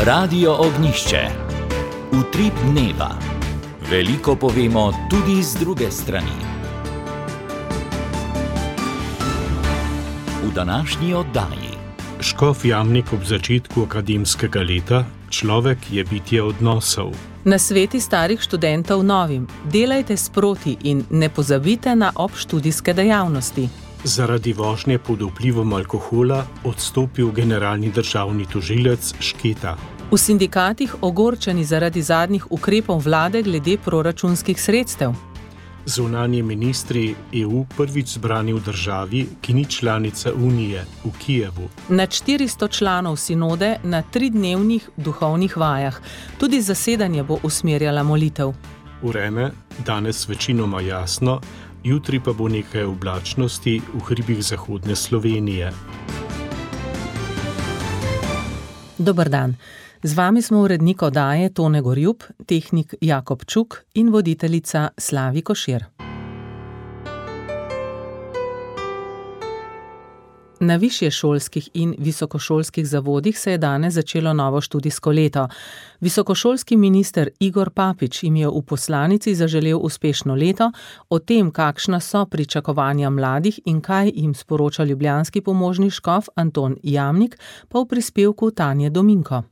Radio Ognjišče. Utrip dneva. Veliko povemo tudi z druge strani. V današnji oddaji. Škof Jamnik ob začetku akademskega leta, človek je bitje odnosov. Nasveti starih študentov novim: delajte sproti in ne pozabite na obštudijske dejavnosti. Zaradi vožnje pod vplivom alkohola odstopil generalni državni tožilec Šketa. V sindikatih ogorčeni zaradi zadnjih ukrepov vlade glede proračunskih sredstev. Zunanji ministri EU prvič zbrani v državi, ki ni članica Unije, v Kijevu. Nad 400 članov sinode na 3-dnevnih duhovnih vajah. Tudi zasedanje bo usmerjala molitev. Vreme, danes večinoma jasno, jutri pa bo nekaj oblačnosti v hribih zahodne Slovenije. Dober dan. Z vami smo urednik oddaje Tone Gorjup, tehnik Jakob Čuk in voditeljica Slavi Košir. Na višješolskih in visokošolskih zavodih se je danes začelo novo študijsko leto. Visokošolski minister Igor Papič jim je v poslanici zaželel uspešno leto, o tem, kakšna so pričakovanja mladih in kaj jim sporoča ljubljanski pomožni škof Anton Jamnik, pa v prispevku Tanje Dominko.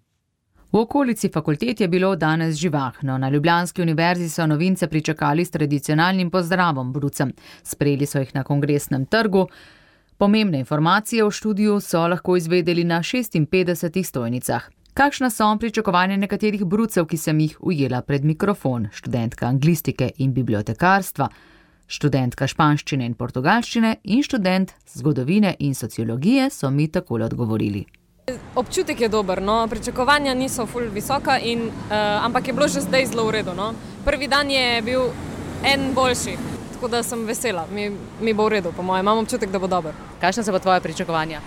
V okolici fakultet je bilo danes živahno. Na Ljubljanski univerzi so novince pričakali s tradicionalnim pozdravom brucem. Sprejeli so jih na Kongresnem trgu. Pomembne informacije o študiju so lahko izvedeli na 56 stojnicah. Kakšna so pričakovanja nekaterih brucev, ki sem jih ujela pred mikrofon? Študentka anglistike in bibliotekarstva, študentka španščine in portugalščine in študent zgodovine in sociologije so mi takole odgovorili. Občutek je dober, no? Pričakovanja niso ful visoka, ampak je bilo že zdaj zelo v redu. No? Prvi dan je bil en boljši, tako da sem vesela. Mi bo v redu, po mojem. Imam občutek, da bo dober. Kakšna so pa tvoje pričakovanja?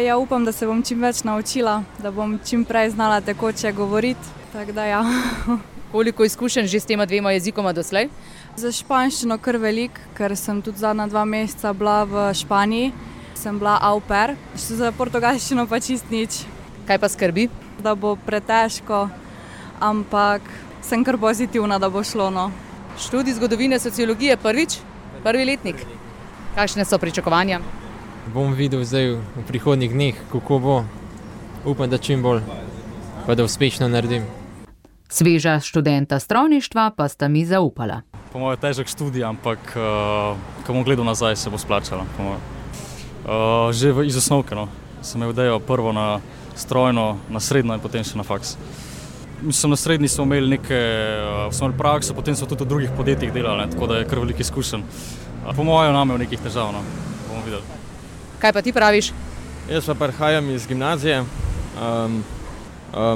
Ja, upam, da se bom čim več naučila, da bom čim prej znala tekoče govoriti. Tako da ja. Koliko izkušenj že s tema dvema jezikoma doslej? Za španščino kar velik, ker sem tudi zadnja 2 meseca bila v Španiji. Sem bila au pair, za portugalščino pa čist nič. Kaj pa skrbi? Da bo pretežko, ampak sem kar pozitivna, da bo šlo. No. Študij zgodovine sociologije prvi letnik. Kakšne so pričakovanja? Bom videl zdaj v prihodnjih dneh, kako bo. Upam, da čim bolj, pa da uspešno naredim. Sveža študenta strojništva pa sta mi zaupala. Po mojem težek študij, ampak ko bom gledal nazaj, se bo splačala. Že iz osnovke, no. Sem imel idejo prvo na strojno, na srednjo in potem še na faks. Mislim, na srednji smo imeli prakso, potem so tudi v drugih podjetjih delali, tako da je kar veliko izkušenj. Po mojem nam je v nekih težav, no. Bomo videli. Kaj pa ti praviš? Jaz pa prihajam iz gimnazije.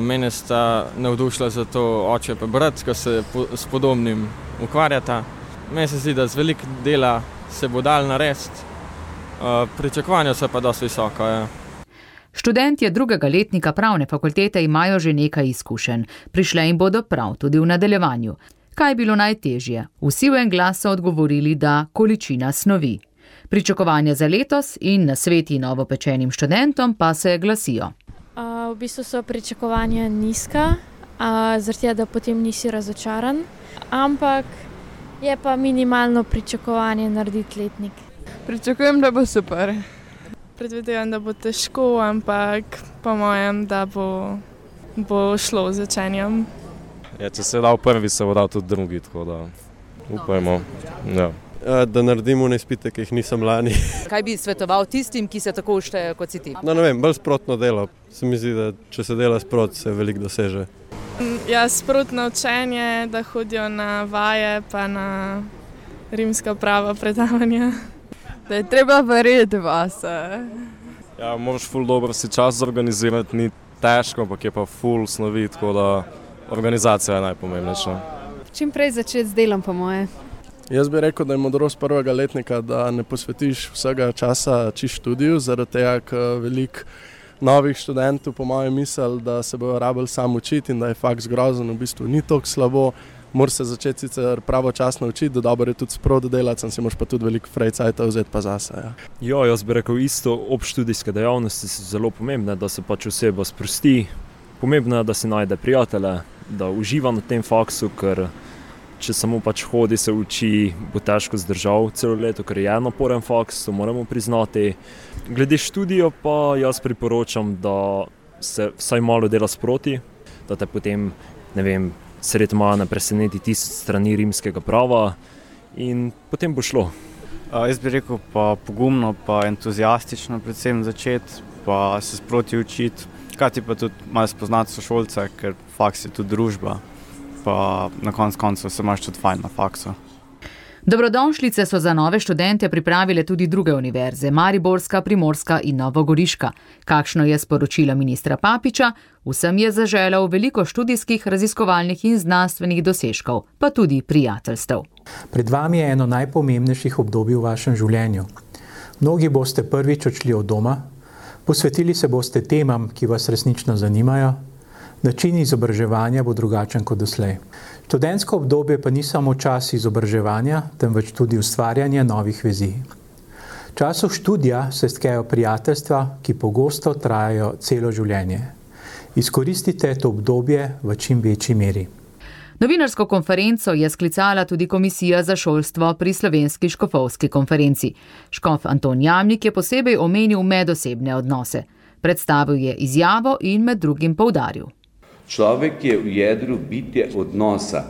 Mene sta navdušila za to oče pa brat, ko se s podobnim ukvarjata. Meni se zdi, da z veliko dela se bo dal narediti. Pričakovanja so pa dosti visoka. Ja. Študentje 2. letnika pravne fakultete imajo že nekaj izkušenj. Prišle jim bodo prav tudi v nadaljevanju. Kaj je bilo najtežje? Vsi v en glas so odgovorili, da količina snovi. Pričakovanja za letos in nasveti novopečenim študentom pa se glasijo. V bistvu so pričakovanja nizka, zaradi da potem nisi razočaran, ampak je pa minimalno pričakovanje narediti letnik. Pričakujem, da bo super. Predvidevam, da bo težko, ampak po mojem, da bo šlo z učenjem. Ja, če se je dal prvi, se bo dal tudi drugi, tako da upajmo. Ja. Da naredimo izpite, ki jih nisem lani. Kaj bi svetoval tistim, ki se tako štejejo kot si ti? No, ne vem, bolj sprotno delo. Se mi zdi, da če se dela sprot, se veliko doseže. Ja, sprotno učenje, da hodijo na vaje, pa na rimska prava predavanja. Da je treba verjeti vase. Ja, moraš ful dobro si čas zorganizirati, ni težko, ampak je pa ful snovi, tako da organizacija je najpomembnejša. Čim prej začeti z delom, po moje. Jaz bi rekel, da je modrost 1. letnika, da ne posvetiš vsega časa čisto študiju, zaradi tega, ker veliko novih študentov po mojem misli, da se bojo rabili sam učiti in da je faks grozen, v bistvu ni toliko slabo. Moraš se začeti sicer pravočasno učiti, da dobro je tudi sprot delati, si moraš pa tudi veliko frejcajta vzeti pa zase. Ja. Jaz bi rekel isto, obštudijske dejavnosti so zelo pomembne, da se pač oseba sprosti, Pomembno je, da si najde prijatelje, da uživa na tem faksu, ker če samo pač hodi, se uči, bo težko zdržal celo leto, ker je naporen faks, to moramo priznati. Glede študijo pa jaz priporočam, da se vsaj malo dela sproti, da te potem, sredi maja ne preseneti 1000 strani rimskega prava in potem bo šlo. Jaz bi rekel pa pogumno, pa entuzijastično predvsem začeti, pa se sproti učiti, hkrati pa tudi malo spoznati sošolce, ker faks je tudi družba, pa na koncu se imaš tudi fajn na faksu. Dobrodošlice so za nove študente pripravile tudi druge univerze, Mariborska, Primorska in Novogoriška. Kakšno je sporočilo ministra Papiča? Vsem je zaželel veliko študijskih, raziskovalnih in znanstvenih dosežkov, pa tudi prijateljstev. Pred vami je eno najpomembnejših obdobij v vašem življenju. Mnogi boste prvič odšli od doma, posvetili se boste temam, ki vas resnično zanimajo. Način izobraževanja bo drugačen kot doslej. Študentsko obdobje pa ni samo čas izobraževanja, temveč tudi ustvarjanje novih vezi. V času študija se stkejo prijateljstva, ki pogosto trajajo celo življenje. Izkoristite to obdobje v čim večji meri. Novinarsko konferenco je sklicala tudi Komisija za šolstvo pri Slovenski škofovski konferenci. Škof Anton Jamnik je posebej omenil medosebne odnose. Predstavil je izjavo in med drugim poudaril. Človek je v jedru bitje odnosa.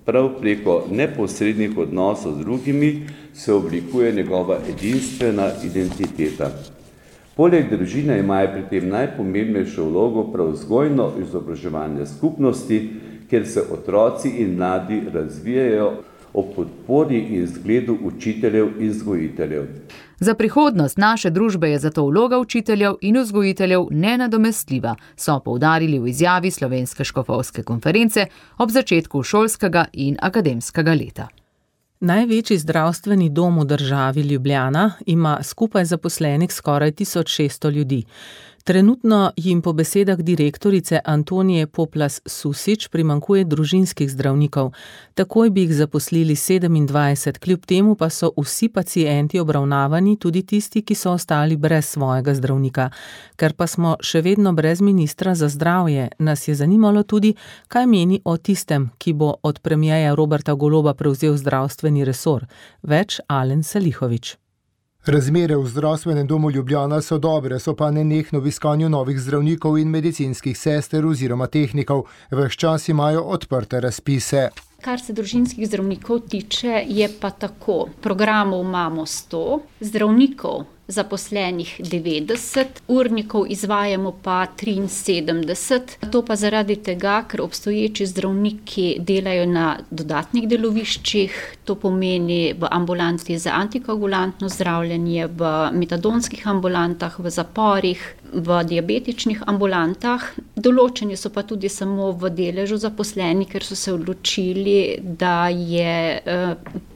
Prav preko neposrednih odnosov z drugimi se oblikuje njegova edinstvena identiteta. Poleg družine imajo pri tem najpomembnejšo vlogo prav vzgojno-izobraževalne skupnosti, kjer se otroci in mladi razvijajo ob podpori in zgledu učiteljev in vzgojiteljev. Za prihodnost naše družbe je zato vloga učiteljev in vzgojiteljev nenadomestljiva, so poudarili v izjavi Slovenske škofovske konference ob začetku šolskega in akademskega leta. Največji zdravstveni dom v državi Ljubljana ima skupaj zaposlenih skoraj 1600 ljudi. Trenutno jim po besedah direktorice Antonije Poplas-Susič primanjkuje družinskih zdravnikov. Takoj bi jih zaposlili 27, kljub temu pa so vsi pacienti obravnavani, tudi tisti, ki so ostali brez svojega zdravnika. Ker pa smo še vedno brez ministra za zdravje, nas je zanimalo tudi, kaj meni o tistem, ki bo od premierja Roberta Goloba prevzel zdravstveni resor. Več Alen Salihović. Razmere v zdravstvenem domu Ljubljana so dobre, so pa nenehno v iskanju novih zdravnikov in medicinskih sester oziroma tehnikov. Ves čas imajo odprte razpise. Kar se družinskih zdravnikov tiče, je pa tako. Programov imamo 100, zdravnikov zaposlenih 90, urnikov izvajamo pa 73. To pa zaradi tega, ker obstoječi zdravniki delajo na dodatnih deloviščih, to pomeni v ambulanti za antikoagulantno zdravljenje, v metadonskih ambulantah, v zaporih, v diabetičnih ambulantah. Določeni so pa tudi samo v deležu zaposleni, ker so se odločili, da je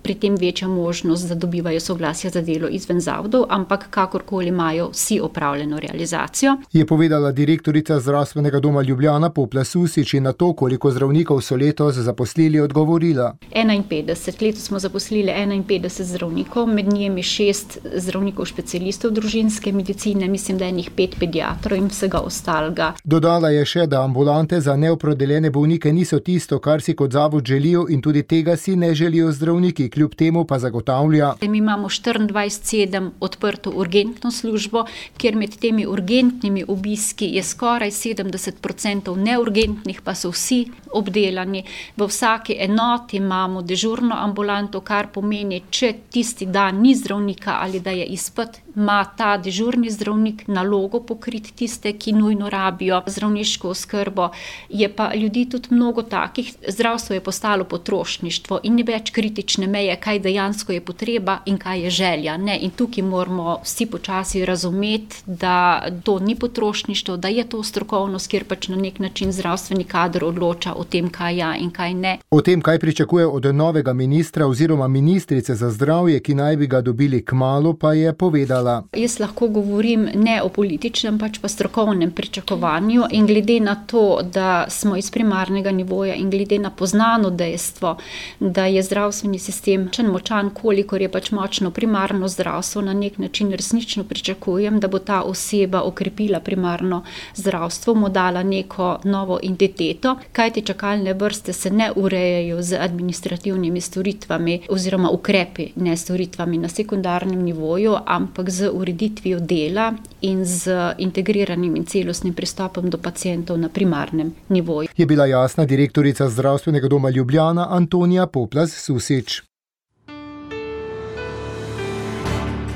pri tem večja možnost, da dobivajo soglasja za delo izven zavodov, ampak kakorkoli imajo vsi opravljeno realizacijo. Je povedala direktorica zdravstvenega doma Ljubljana Poplas-Susič in na to, koliko zdravnikov so letos zaposlili, odgovorila. 51. Letos smo zaposlili 51 zdravnikov, med njimi 6 zdravnikov specialistov družinske medicine, mislim, da je njih 5 pediatrov in vsega ostalega. Dodala je še, da ambulante za neopredeljene bolnike niso tisto, kar si kot zavod želijo in tudi tega si ne želijo zdravniki, kljub temu pa zagotavlja. Mi imamo 24/7 odprto urgentno službo, kjer med temi urgentnimi obiski je skoraj 70% neurgentnih, pa so vsi obdelani. V vsaki enoti imamo dežurno ambulanto, kar pomeni, če tisti dan ni zdravnika ali da je izpad, ima ta dežurni zdravnik nalogo pokriti tiste, ki nujno rabijo zdravniško oskrbo. Je pa ljudi tudi mnogo takih, zdravstvo je postalo potrošništvo in ni več kritične meje, kaj dejansko je potreba in kaj je želja. Ne? In tukaj moramo vsi počasi razumeti, da to ni potrošništvo, da je to strokovnost, kjer pač na nek način zdravstveni kader odloča o tem, kaj ja in kaj ne. O tem, kaj pričakuje od novega ministra oziroma ministrice za zdravje, ki naj bi ga dobili kmalu, pa je povedala. Jaz lahko govorim ne o političnem, pač pa strokovnem pričakovanju in glede na to, da smo iz primarnega nivoja in glede na poznano dejstvo, da je zdravstveni sistem vem, močan, kolikor je pač močno primarno zdravstvo, na nek način resnično pričakujem, da bo ta oseba okrepila primarno zdravstvo, mu dala neko novo identiteto, kajti čakalne vrste se ne urejajo z administrativnimi storitvami oziroma ukrepi, ne storitvami na sekundarnem nivoju, ampak z ureditvijo dela in z integriranim in celostnim pristopom do pacientov na primarnem nivoju. Je bila jasna direktorica Zdravstvenega doma Ljubljana Antonija Poplaz-Susič.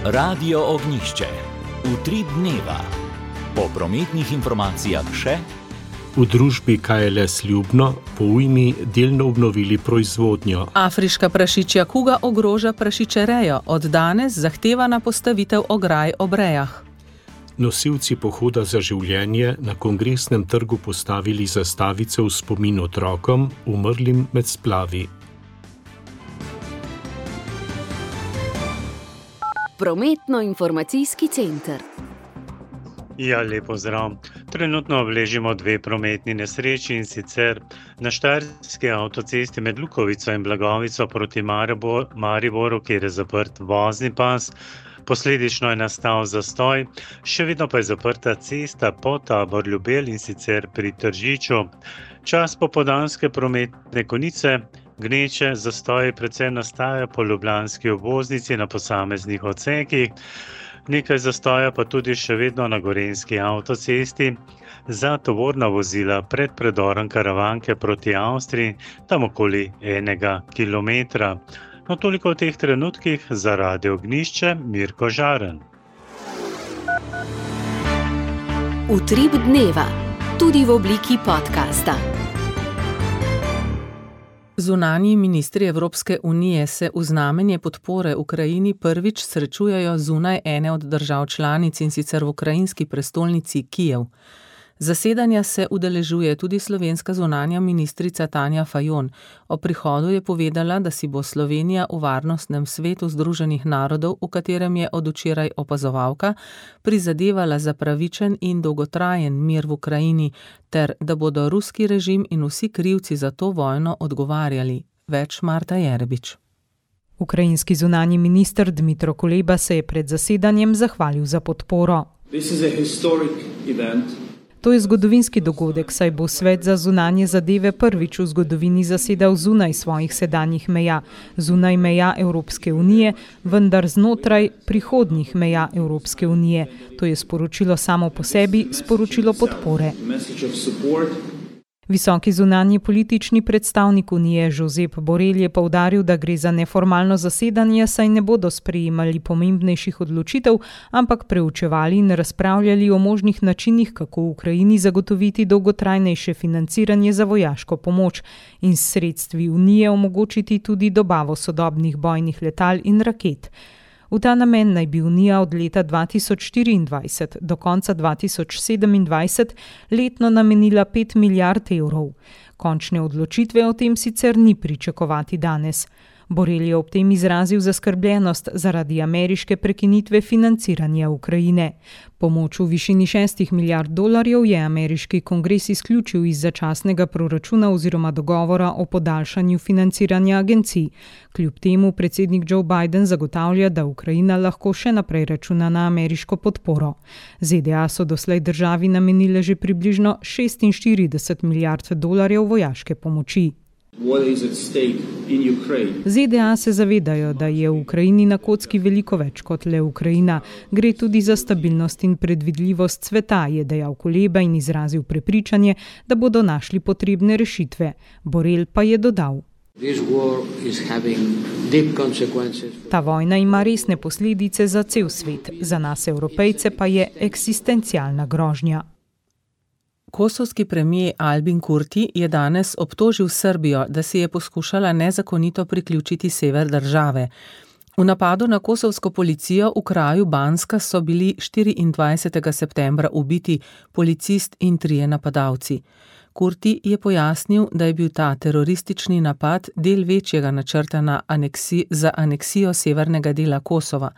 Radio Ognjišče. Utrip dneva. Po prometnih informacijah še. V družbi KLS Ljubno po ujmi delno obnovili proizvodnjo. Afriška prašičja kuga ogroža prašičerejo. Od danes zahtevana postavitev ograj ob rejah. Nosilci pohoda za življenje na Kongresnem trgu postavili zastavice v spomin otrokom, umrlim med splavi. Prometno-informacijski center. Ja, lepo zdrav. Trenutno obležimo 2 prometni nesreči, in sicer na Štajerski avtocesti med Lukovico in Blagovico proti Mariboru, kjer je zaprt vozni pas. Posledično je nastal zastoj, še vedno pa je zaprta cesta po Tabor-Ljubelj, in sicer pri Tržiču. Čas popoldanske prometne konice, gneče, zastoji predvsem nastajajo po ljubljanski obvoznici na posameznih odsekih. Nekaj zastoja pa tudi še vedno na Gorenjski avtocesti za tovorna vozila pred predorom Karavanke proti Avstriji, tam okoli 1 kilometra. No, toliko v teh trenutkih. Za Radio Ognjišče, Mirko Žaren. Utrip dneva, tudi v obliki podcasta. Zunanji ministri Evropske unije se v znamenje podpore Ukrajini prvič srečujejo zunaj ene od držav članic, in sicer v ukrajinski prestolnici Kijev. Zasedanja se udeležuje tudi slovenska zunanja ministrica Tanja Fajon. O prihodu je povedala, da si bo Slovenija v Varnostnem svetu Združenih narodov, v katerem je od včeraj opazovalka, prizadevala za pravičen in dolgotrajen mir v Ukrajini, ter da bodo ruski režim in vsi krivci za to vojno odgovarjali. Več Marta Jerebič. Ukrajinski zunanji minister Dmytro Kuleba se je pred zasedanjem zahvalil za podporo. To je zgodovinski dogodek, saj bo Svet za zunanje zadeve prvič v zgodovini zasedal zunaj svojih sedanjih meja, zunaj meja Evropske unije, vendar znotraj prihodnjih meja Evropske unije. To je sporočilo samo po sebi, sporočilo podpore. Visoki zunanji politični predstavnik Unije Josep Borrell je poudaril, da gre za neformalno zasedanje, saj ne bodo sprejemali pomembnejših odločitev, ampak preučevali in razpravljali o možnih načinih, kako v Ukrajini zagotoviti dolgotrajnejše financiranje za vojaško pomoč in s sredstvi Unije omogočiti tudi dobavo sodobnih bojnih letal in raket. V ta namen naj bi Unija od leta 2024 do konca 2027 letno namenila 5 milijard evrov. Končne odločitve o tem sicer ni pričakovati danes. Borrell je ob tem izrazil zaskrbljenost zaradi ameriške prekinitve financiranja Ukrajine. Pomoč v višini $6 milijard je ameriški kongres izključil iz začasnega proračuna oziroma dogovora o podaljšanju financiranja agencij. Kljub temu predsednik Joe Biden zagotavlja, da Ukrajina lahko še naprej računa na ameriško podporo. ZDA so doslej državi namenile že približno $46 milijard vojaške pomoči. ZDA se zavedajo, da je v Ukrajini na kocki veliko več kot le Ukrajina. Gre tudi za stabilnost in predvidljivost sveta, je dejal Kuleba in izrazil prepričanje, da bodo našli potrebne rešitve. Borrell pa je dodal: Ta vojna ima resne posledice za cel svet, za nas Evropejce pa je eksistencialna grožnja. Kosovski premijer Albin Kurti je danes obtožil Srbijo, da si je poskušala nezakonito priključiti sever države. V napadu na kosovsko policijo v kraju Banska so bili 24. septembra ubiti policist in 3 napadalci. Kurti je pojasnil, da je bil ta teroristični napad del večjega načrta za aneksijo severnega dela Kosova.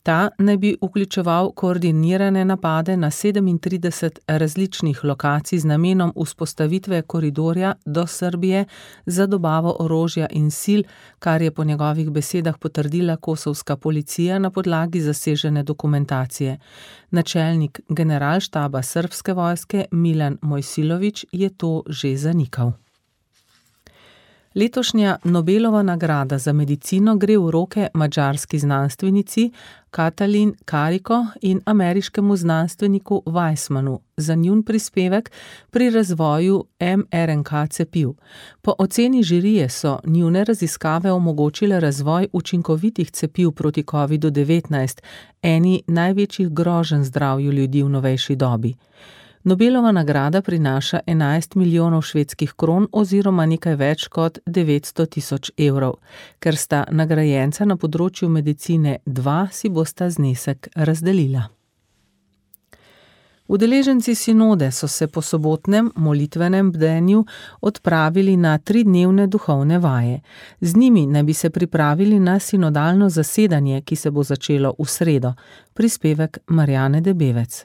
Ta naj bi vključeval koordinirane napade na 37 različnih lokacij z namenom vzpostavitve koridorja do Srbije za dobavo orožja in sil, kar je po njegovih besedah potrdila kosovska policija na podlagi zasežene dokumentacije. Načelnik generalštaba srbske vojske Milan Mojsilović je to že zanikal. Letošnja Nobelova nagrada za medicino gre v roke madžarski znanstvenici Katalin Kariko in ameriškemu znanstveniku Weissmanu za njun prispevek pri razvoju mRNK cepiv. Po oceni žirije so njune raziskave omogočile razvoj učinkovitih cepiv proti COVID-19, eni največjih groženj zdravju ljudi v novejši dobi. Nobelova nagrada prinaša 11 milijonov švedskih kron oziroma nekaj več kot 900 tisoč evrov. Ker sta nagrajenca na področju medicine dva, si bosta znesek razdelila. Udeleženci sinode so se po sobotnem molitvenem bdenju odpravili na 3-dnevne duhovne vaje. Z njimi naj bi se pripravili na sinodalno zasedanje, ki se bo začelo v sredo. Prispevek Marjane Debevec.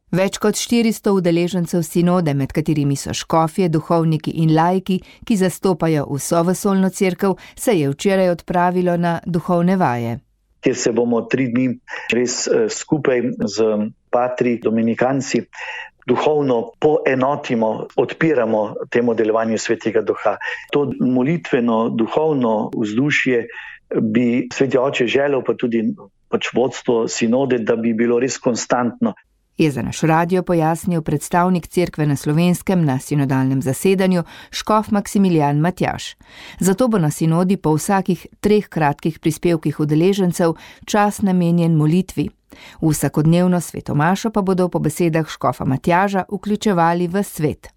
Več kot 400 udeležencev sinode, med katerimi so škofje, duhovniki in laiki, ki zastopajo vso vesoljno cerkev, se je včeraj odpravilo na duhovne vaje. Kjer se bomo 3 dni res skupaj z patri dominikanci duhovno poenotimo, odpiramo temu delovanju Svetega Duha. To molitveno, duhovno vzdušje bi Sveti Oče želel, pa tudi vodstvo sinode, da bi bilo res konstantno. Je za naš radio pojasnil predstavnik cerkve na Slovenskem na sinodalnem zasedanju škof Maksimilijan Matjaž. Zato bo na sinodi po vsakih 3 kratkih prispevkih udeležencev čas namenjen molitvi. Vsakodnevno svetomašo pa bodo po besedah škofa Matjaža vključevali v svet.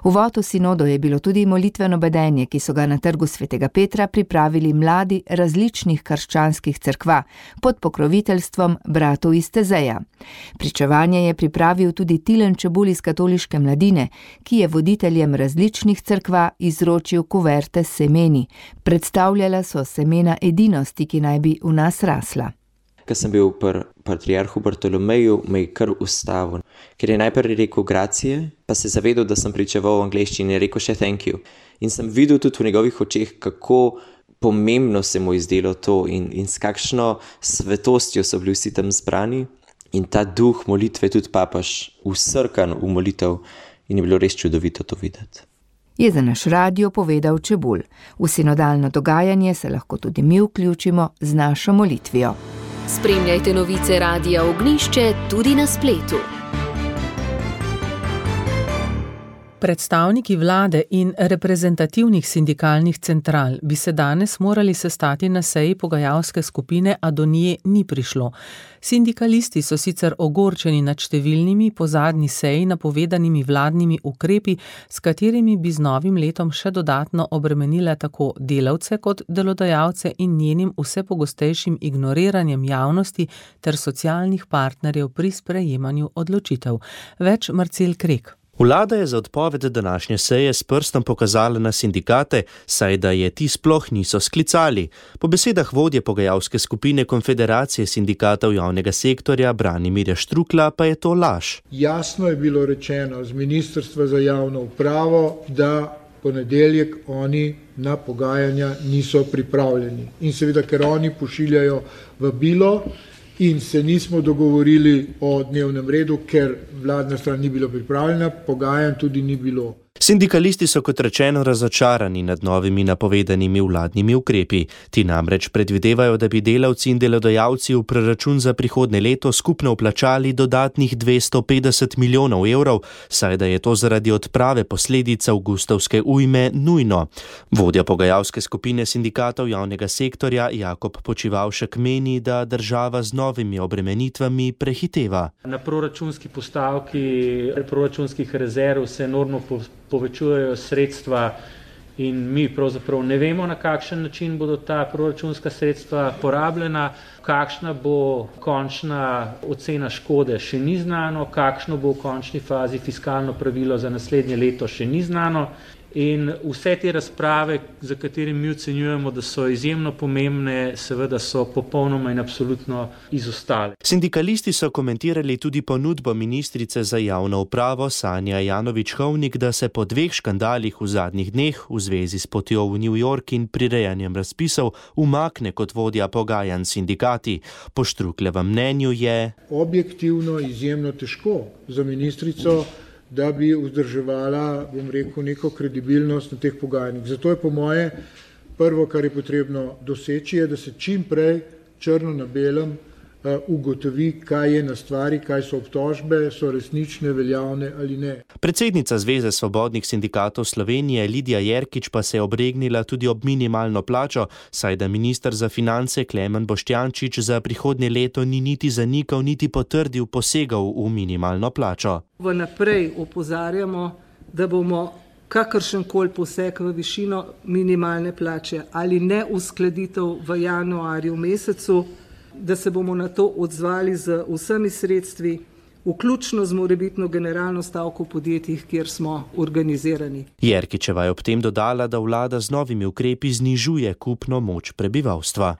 Uvod v sinodo je bilo tudi molitveno bedenje, ki so ga na trgu Svetega Petra pripravili mladi različnih krščanskih cerkva pod pokroviteljstvom bratov iz Tezeja. Pričevanje je pripravil tudi Tilen Čebul iz katoliške mladine, ki je voditeljem različnih cerkva izročil kuverte s semeni. Predstavljala so semena edinosti, ki naj bi v nas rasla. Ko sem bil pri patriarhu Bartolomeju, me je kar ustavil, ker je najprej rekel gracije, pa se zavedal, da sem pričeval v angleščini in rekel še thank you. In sem videl tudi v njegovih očeh, kako pomembno se mu je zdelo to in s kakšno svetostjo so bili vsi tam zbrani. In ta duh molitve tudi papaš vsrkan v molitev in je bilo res čudovito to videti. Je za naš radio povedal Čebul. V sinodalno dogajanje se lahko tudi mi vključimo z našo molitvijo. Spremljajte novice Radia Ognjišče tudi na spletu. Predstavniki vlade in reprezentativnih sindikalnih central bi se danes morali sestati na seji pogajalske skupine, a do nje ni prišlo. Sindikalisti so sicer ogorčeni nad številnimi po zadnji seji napovedanimi vladnimi ukrepi, s katerimi bi z novim letom še dodatno obremenile tako delavce kot delodajalce in njenim vse pogostejšim ignoriranjem javnosti ter socialnih partnerjev pri sprejemanju odločitev. Več Marcel Krek. Vlada je za odpoved današnje seje s prstom pokazala na sindikate, saj da je ti sploh niso sklicali. Po besedah vodje pogajalske skupine Konfederacije sindikatov javnega sektorja Branimirja Štrukla pa je to laž. Jasno je bilo rečeno z Ministrstva za javno upravo, da ponedeljek oni na pogajanja niso pripravljeni. In seveda, ker oni pošiljajo vabilo, in se nismo dogovorili o dnevnem redu, ker vladna stran ni bila pripravljena, pogajanj tudi ni bilo. Sindikalisti so kot rečeno razočarani nad novimi napovedanimi vladnimi ukrepi. Ti namreč predvidevajo, da bi delavci in delodajalci v proračun za prihodnje leto skupno vplačali dodatnih 250 milijonov evrov, saj da je to zaradi odprave posledic avgustovske ujme nujno. Vodja pogajalske skupine sindikatov javnega sektorja Jakob Počivavšek meni, da država z novimi obremenitvami prehiteva. Na proračunski postavki proračunskih rezerv se enormno povečujejo sredstva in mi pravzaprav ne vemo, na kakšen način bodo ta proračunska sredstva porabljena, kakšna bo končna ocena škode, še ni znano, kakšno bo v končni fazi fiskalno pravilo za naslednje leto, še ni znano In vse te razprave, za katere mi ocenjujemo, da so izjemno pomembne, seveda so popolnoma in absolutno izostale. Sindikalisti so komentirali tudi ponudbo ministrice za javno upravo Sanja Ajanović-Hovnik, da se po 2 škandalih v zadnjih dneh v zvezi s potjo v New York in prirejanjem razpisov umakne kot vodja pogajanj s sindikati. Po Štruklevem mnenju je objektivno izjemno težko za ministrico, da bi vzdrževala, neko kredibilnost na teh pogajanjih. Zato je po moje prvo, kar je potrebno doseči, je, da se čim prej črno na belem ugotovi, kaj je na stvari, kaj so obtožbe, so resnične, veljavne ali ne. Predsednica Zveze svobodnih sindikatov Slovenije Lidija Jerkič pa se je obregnila tudi ob minimalno plačo, saj da minister za finance Klemen Boštjančič za prihodnje leto ni niti zanikal, niti potrdil posegov v minimalno plačo. Vnaprej opozarjamo, da bomo kakršenkoli poseg v višino minimalne plače ali neuskladitev v januarju mesecu, da se bomo na to odzvali z vsemi sredstvi, vključno z morebitno generalno stavko v podjetjih, kjer smo organizirani. Jerkičeva je ob tem dodala, da vlada z novimi ukrepi znižuje kupno moč prebivalstva.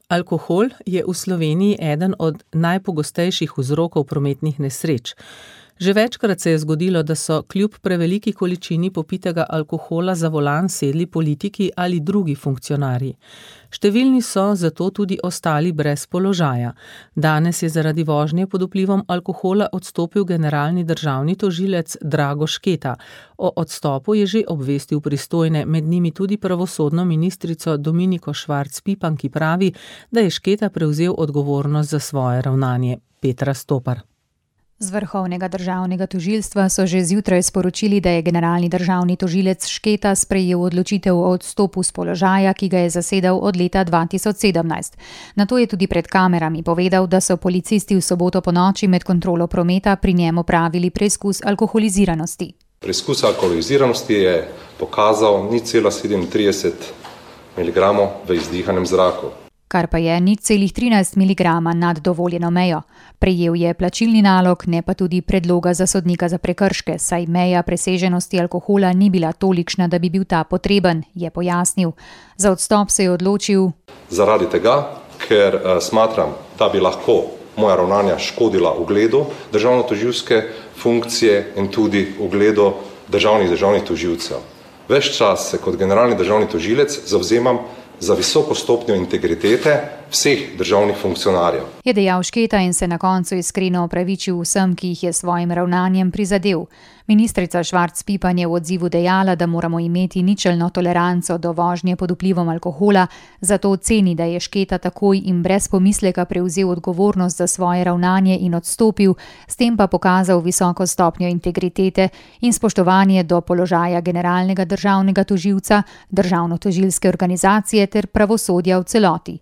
Alkohol je v Sloveniji eden od najpogostejših vzrokov prometnih nesreč. Že večkrat se je zgodilo, da so kljub preveliki količini popitega alkohola za volan sedli politiki ali drugi funkcionarji. Številni so zato tudi ostali brez položaja. Danes je zaradi vožnje pod vplivom alkohola odstopil generalni državni tožilec Drago Šketa. O odstopu je že obvestil pristojne, med njimi tudi pravosodno ministrico Dominiko Švarc Pipan, ki pravi, da je Šketa prevzel odgovornost za svoje ravnanje. Petra Stopar. Z Vrhovnega državnega tožilstva so že zjutraj sporočili, da je generalni državni tožilec Šketa sprejel odločitev o odstopu s položaja, ki ga je zasedal od leta 2017. Nato je tudi pred kamerami povedal, da so policisti v soboto ponoči med kontrolo prometa pri njem opravili preizkus alkoholiziranosti. Preizkus alkoholiziranosti je pokazal 0,37 mg v izdihanem zraku, kar pa je 0,13 mg nad dovoljeno mejo. Prejel je plačilni nalog, ne pa tudi predloga za sodnika za prekrške, saj meja preseženosti alkohola ni bila tolikšna, da bi bil ta potreben, je pojasnil. Za odstop se je odločil zaradi tega, ker smatram, da bi lahko moja ravnanja škodila ugledu državno-tožilske funkcije in tudi ugledu državnih tožilcev. Ves čas se kot generalni državni tožilec zavzemam za visoko stopnjo integritete vseh državnih funkcionarjev. Je dejal Šketa in se na koncu iskreno opravičil vsem, ki jih je svojim ravnanjem prizadel. Ministrica Švarc Pipan je v odzivu dejala, da moramo imeti ničelno toleranco do vožnje pod vplivom alkohola, zato oceni, da je Šketa takoj in brez pomisleka prevzel odgovornost za svoje ravnanje in odstopil, s tem pa pokazal visoko stopnjo integritete in spoštovanje do položaja generalnega državnega tožilca, državno-tožilske organizacije ter pravosodja v celoti.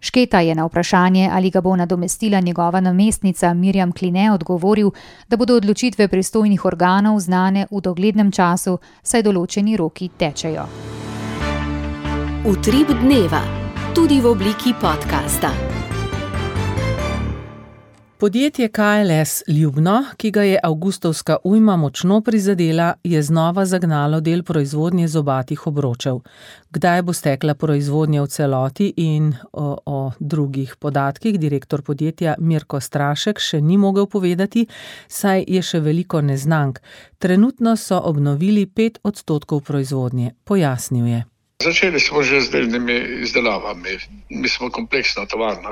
Šketa je na vprašanje, ali ga bo nadomestila njegova namestnica Mirjam Kline, odgovoril, da bodo odločitve pristojnih organov znane v doglednem času, saj določeni roki tečejo. Utrip dneva, tudi v obliki podcasta. Podjetje KLS Ljubno, ki ga je avgustovska ujma močno prizadela, je znova zagnalo del proizvodnje zobatih obročev. Kdaj bo stekla proizvodnja v celoti in o drugih podatkih direktor podjetja Mirko Strašek še ni mogel povedati, saj je še veliko neznank. Trenutno so obnovili 5% proizvodnje, pojasnil je. Začeli smo že z delnimi izdelavami. Mi smo kompleksna tovarna,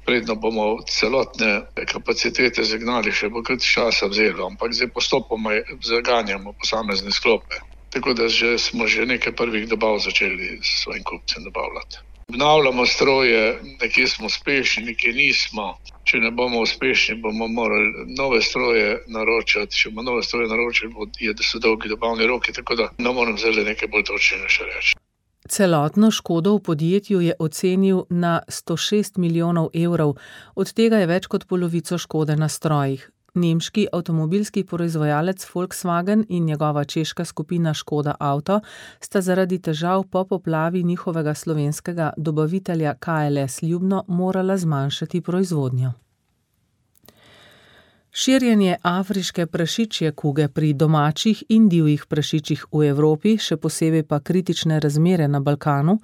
predno bomo celotne kapacitete zagnali, še bo krat časa vzelo, ampak zdaj postopoma zaganjamo posamezne sklope. Tako da smo že nekaj prvih dobav začeli s svojim kupcem dobavljati. Obnavljamo stroje, nekje smo uspešni, nekje nismo. Če ne bomo uspešni, bomo morali nove stroje naročati. Če bomo nove stroje naročili, so dolgi dobavni roki, tako da ne moram zdaj nekaj bolj točnega še reči. Celotno škodo v podjetju je ocenil na 106 milijonov evrov, od tega je več kot polovico škode na strojih. Nemški avtomobilski proizvajalec Volkswagen in njegova češka skupina Škoda Auto sta zaradi težav po poplavi njihovega slovenskega dobavitelja KLS Ljubno morala zmanjšati proizvodnjo. Širjenje afriške prašičje kuge pri domačih in divjih prašičih v Evropi, še posebej pa kritične razmere na Balkanu,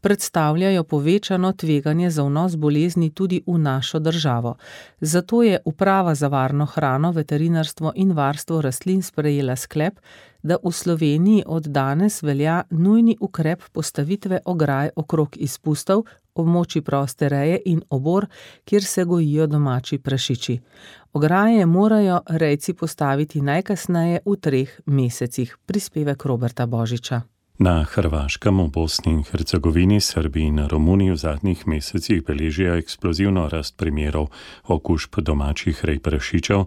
predstavljajo povečano tveganje za vnos bolezni tudi v našo državo. Zato je Uprava za varno hrano, veterinarstvo in varstvo rastlin sprejela sklep, da v Sloveniji od danes velja nujni ukrep postavitve ograj okrog izpustov, območij proste reje in obor, kjer se gojijo domači prašiči. Ograje morajo rejci postaviti najkasneje v 3 mesecih. Prispevek Roberta Božiča. Na Hrvaškem, v Bosni in Hercegovini, Srbiji in Romuniji v zadnjih mesecih beležijo eksplozivno rast primerov okužb domačih rej prašičev.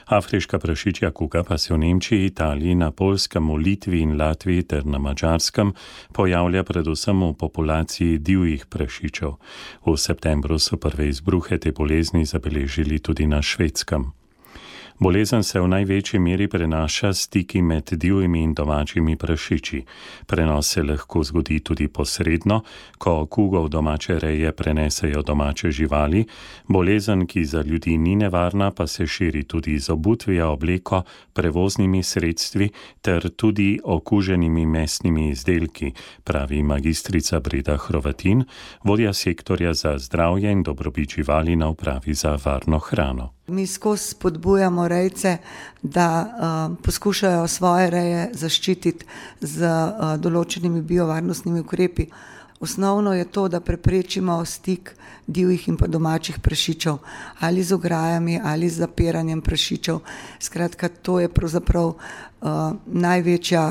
Afriška prašičja kuga pa se v Nemčiji, Italiji, na Poljskem, v Litvi in Latviji ter na Madžarskem pojavlja predvsem v populaciji divjih prašičev. V septembru so prve izbruhe te bolezni zabeležili tudi na Švedskem. Bolezen se v največji meri prenaša s stiki med divjimi in domačimi prašiči. Prenos se lahko zgodi tudi posredno, ko kugo v domače reje prenesejo domače živali. Bolezen, ki za ljudi ni nevarna, pa se širi tudi z obutvijo, obleko, prevoznimi sredstvi ter tudi okuženimi mesnimi izdelki, pravi magistrica Breda Hrovatin, vodja sektorja za zdravje in dobrobit živali na Upravi za varno hrano. Mi skozi spodbujamo rejce, da poskušajo svoje reje zaščititi z določenimi biovarnostnimi ukrepi. Osnovno je to, da preprečimo stik divjih in pa domačih prašičev, ali z ograjami, ali z zapiranjem prašičev. Skratka, to je pravzaprav največja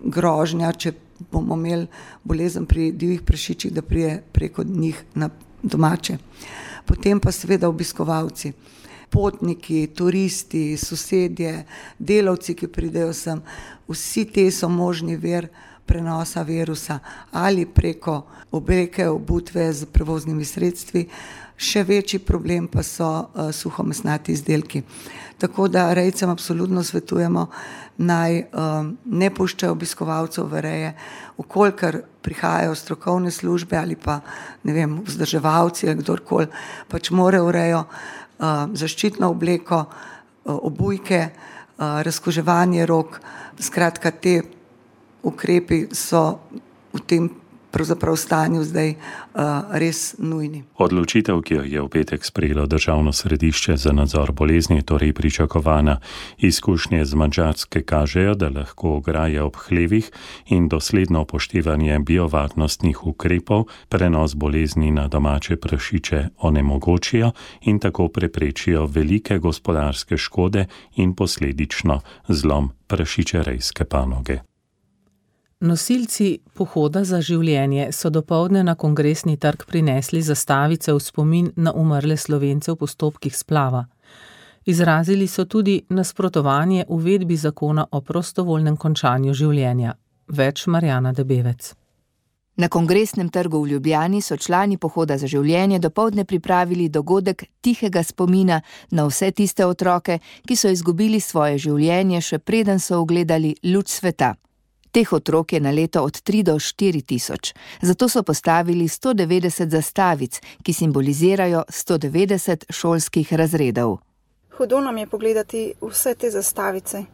grožnja, če bomo imeli bolezen pri divjih prašičih, da prije preko njih na domače. Potem pa seveda obiskovalci. Potniki, turisti, sosedje, delavci, ki pridejo sem, vsi te so možni vir prenosa virusa ali preko obleke, obutve z prevoznimi sredstvi. Še večji problem pa so suhomesnati izdelki. Tako da rejcem absolutno svetujemo, naj ne puščajo obiskovalcev v reje, vkolikor prihajajo strokovne službe ali pa vzdrževalci ali kdorkoli, pač morajo v rejo zaščitno obleko, obujke, razkuževanje rok. Skratka, te ukrepi so v tem pravzaprav stanju zdaj res nujni. Odločitev, ki jo je v petek sprejelo Državno središče za nadzor bolezni, je torej pričakovana. Izkušnje z Madžarske kažejo, da lahko ograje ob hlevih in dosledno upoštevanje biovarnostnih ukrepov prenos bolezni na domače prašiče onemogočijo in tako preprečijo velike gospodarske škode in posledično zlom prašičerejske panoge. Nosilci Pohoda za življenje so dopoldne na Kongresni trg prinesli zastavice v spomin na umrle Slovence v postopkih splava. Izrazili so tudi nasprotovanje uvedbi zakona o prostovoljnem končanju življenja. Več Marjana Debevec. Na Kongresnem trgu v Ljubljani so člani Pohoda za življenje dopoldne pripravili dogodek tihega spomina na vse tiste otroke, ki so izgubili svoje življenje, še preden so ugledali luč sveta. Teh otrok je na leto od 3 do 4 tisoč, zato so postavili 190 zastavic, ki simbolizirajo 190 šolskih razredov. Hudo nam je pogledati vse te zastavice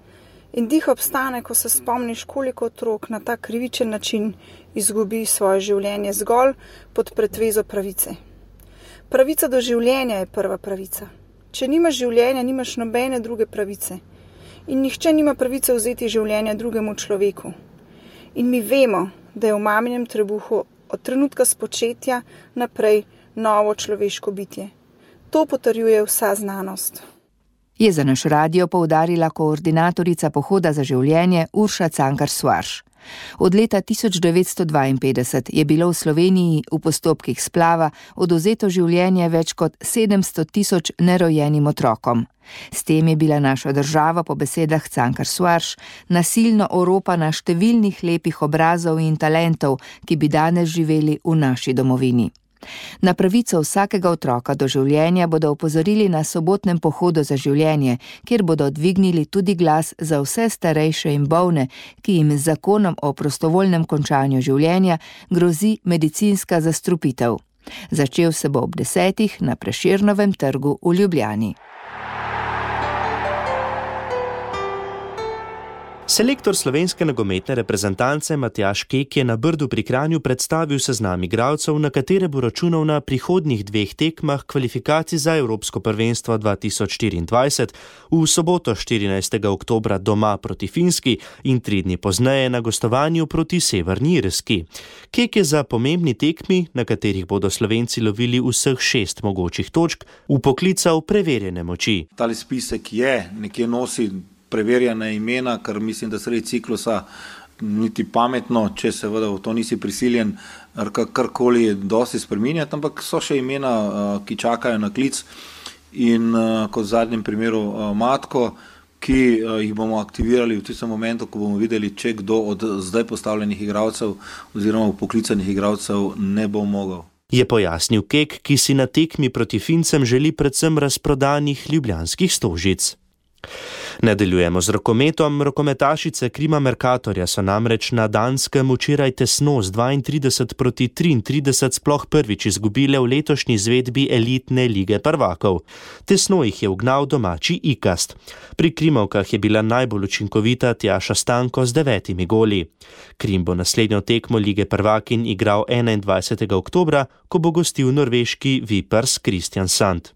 in dih obstane, ko se spomniš, koliko otrok na ta krivičen način izgubi svoje življenje zgolj pod pretvezo pravice. Pravica do življenja je prva pravica. Če nimaš življenja, nimaš nobene druge pravice. In nihče nima pravice vzeti življenja drugemu človeku. In mi vemo, da je v maminem trebuhu od trenutka spočetja naprej novo človeško bitje. To potrjuje vsa znanost. Je za naš radio poudarila koordinatorica Pohoda za življenje Urša Cankar-Suarš. Od leta 1952 je bilo v Sloveniji v postopkih splava odvzeto življenje več kot 700 tisoč nerojenim otrokom. S tem je bila naša država po besedah Cankar-Suarš nasilno oropana številnih lepih obrazov in talentov, ki bi danes živeli v naši domovini. Na pravico vsakega otroka do življenja bodo opozorili na sobotnem Pohodu za življenje, kjer bodo dvignili tudi glas za vse starejše in bolne, ki jim z zakonom o prostovoljnem končanju življenja grozi medicinska zastrupitev. Začel se bo ob 10 na Prešernovem trgu v Ljubljani. Selektor slovenske nogometne reprezentance Matjaž Kek je na Brdu pri Kranju predstavil seznam igralcev, na katere bo računal na prihodnjih 2 tekmah kvalifikacij za Evropsko prvenstvo 2024 v soboto 14. oktobra doma proti Finski in 3 dni pozneje na gostovanju proti Severni Irski. Kek je za pomembni tekmi, na katerih bodo Slovenci lovili vseh 6 mogočih točk, vpoklical preverjene moči. Tali spisek je, nekje nosi preverjena imena, kar mislim, da sredi ciklusa niti pametno, če seveda v to nisi prisiljen karkoli dosti spreminjati, ampak so še imena, ki čakajo na klic in kot v zadnjem primeru Matko, ki jih bomo aktivirali v tistem momentu, ko bomo videli, če kdo od zdaj postavljenih igralcev oziroma poklicanih igralcev ne bo mogel. Je pojasnil Kek, ki si na tekmi proti Fincem želi predvsem razprodanih ljubljanskih stožic. Nadaljujemo z rokometom. Rokometašice Krima Mercatorja so namreč na Danskem včeraj tesno z 32-33 sploh prvič izgubile v letošnji izvedbi elitne lige prvakov. Tesno jih je ugnal domači Ikast. Pri Krimovkah je bila najbolj učinkovita Tjaša Stanko z 9 goli. Krim bo naslednjo tekmo lige prvakin igral 21. oktobra, ko bo gostil norveški Vipers Kristiansand.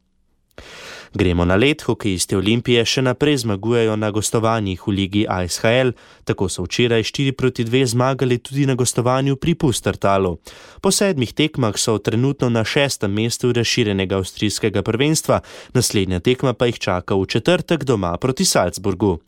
Gremo na led. Hokejisti Olimpije še naprej zmagujejo na gostovanjih v ligi ASHL, tako so včeraj 4-2 zmagali tudi na gostovanju pri Pustertalu. Po 7 tekmah so trenutno na 6. mestu razširjenega avstrijskega prvenstva, naslednja tekma pa jih čaka v četrtek doma proti Salzburgu.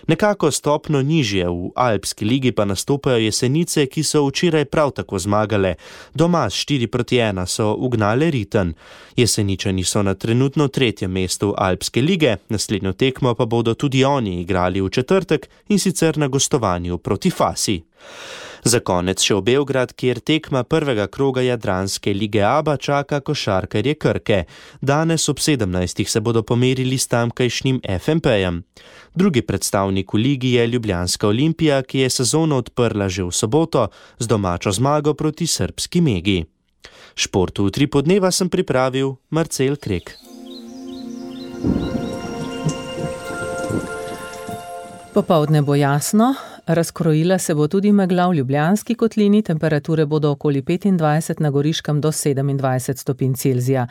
Nekako stopno nižje v Alpski ligi pa nastopajo Jesenice, ki so včeraj prav tako zmagale. Doma s 4-1 so ugnale Riten. Jeseničani so na trenutno 3. mestu Alpske lige, naslednjo tekmo pa bodo tudi oni igrali v četrtek in sicer na gostovanju proti Fasi. Za konec še v Beograd, kjer tekma prvega kroga Jadranske lige ABA čaka košarkarje Krke. Danes ob 17. se bodo pomerili s tamkajšnjim FMP-jem. Drugi predstavnik v ligi je Ljubljanska Olimpija, ki je sezono odprla že v soboto z domačo zmago proti srbski Megi. Športu v 3 podneva sem pripravil Marcel Krek. Popoldne bo jasno. Razkrojila se bo tudi megla v Ljubljanski kotlini, temperature bodo okoli 25, na Goriškem do 27 stopinj Celzija.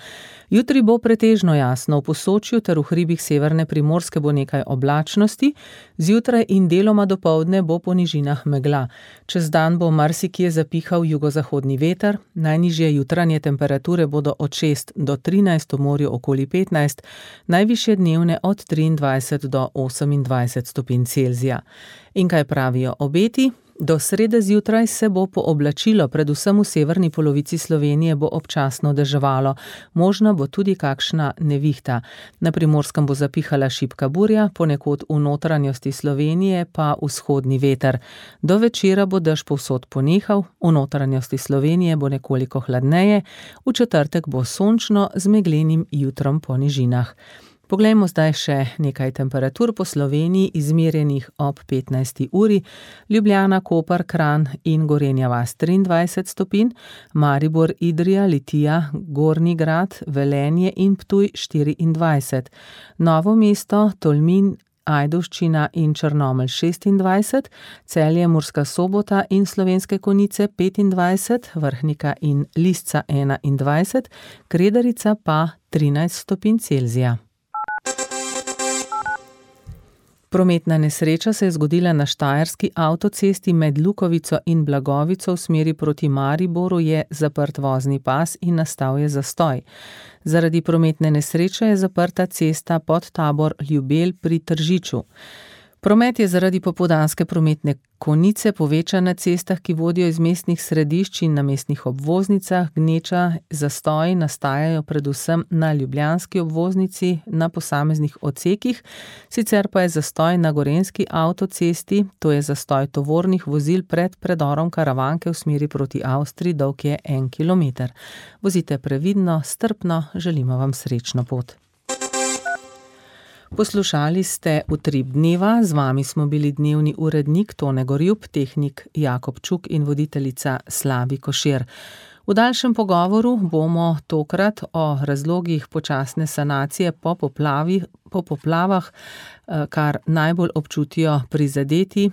Jutri bo pretežno jasno, v Posočju ter v hribih severne Primorske bo nekaj oblačnosti, zjutraj in deloma dopoldne bo po nižinah megla. Čez dan bo marsikje zapihal jugozahodni veter, najnižje jutranje temperature bodo od 6 do 13, v morju okoli 15, najvišje dnevne od 23 do 28 stopinj Celzija. In kaj pravijo obeti? Do srede zjutraj se bo pooblačilo, predvsem v severni polovici Slovenije bo občasno deževalo. Možna bo tudi kakšna nevihta. Na Primorskem bo zapihala šibka burja, ponekod v notranjosti Slovenije pa vzhodni veter. Do večera bo dež povsod ponehal, v notranjosti Slovenije bo nekoliko hladneje, v četrtek bo sončno z meglenim jutrom po nižinah. Poglejmo zdaj še nekaj temperatur po Sloveniji, izmerjenih ob 15. uri. Ljubljana, Koper, Kranj in Gorenja vas 23 stopinj, Maribor, Idrija, Litija, Gornji Grad, Velenje in Ptuj 24, Novo mesto, Tolmin, Ajdovščina in Črnomelj 26, Celje, Murska Sobota in Slovenske Konjice 25, Vrhnika in Lisca 21, Kredarica pa 13 stopinj Celzija. Prometna nesreča se je zgodila na štajerski avtocesti med Lukovico in Blagovico v smeri proti Mariboru, je zaprt vozni pas in nastal je zastoj. Zaradi prometne nesreče je zaprta cesta Podtabor Ljubelj pri Tržiču. Promet je zaradi popoldanske prometne konice povečan na cestah, ki vodijo iz mestnih središč in na mestnih obvoznicah. Gneča zastoji nastajajo predvsem na ljubljanski obvoznici na posameznih odsekih, sicer pa je zastoj na gorenjski avtocesti, to je zastoj tovornih vozil pred predorom Karavanke v smeri proti Avstriji, dolg je 1 kilometer. Vozite previdno, strpno, želimo vam srečno pot. Poslušali ste Utrip dneva, z vami smo bili dnevni urednik Tone Gorjup, tehnik Jakob Čuk in voditeljica Slavi Košir. V daljšem pogovoru bomo tokrat o razlogih počasne sanacije po poplavah, kar najbolj občutijo prizadeti,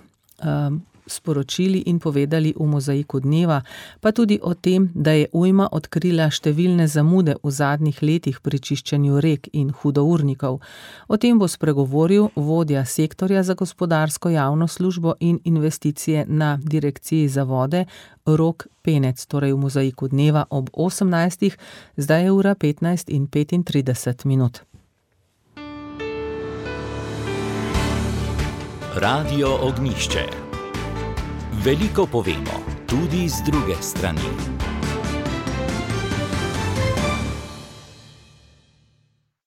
sporočili in povedali v Mozaiku dneva, pa tudi o tem, da je ujma odkrila številne zamude v zadnjih letih pri čiščenju rek in hudournikov. O tem bo spregovoril vodja sektorja za gospodarsko javno službo in investicije na Direkciji za vode Rok Penec, torej v Mozaiku dneva ob 18. Zdaj je ura 15:35. Radio Ognjišče. Veliko povemo, tudi z druge strani.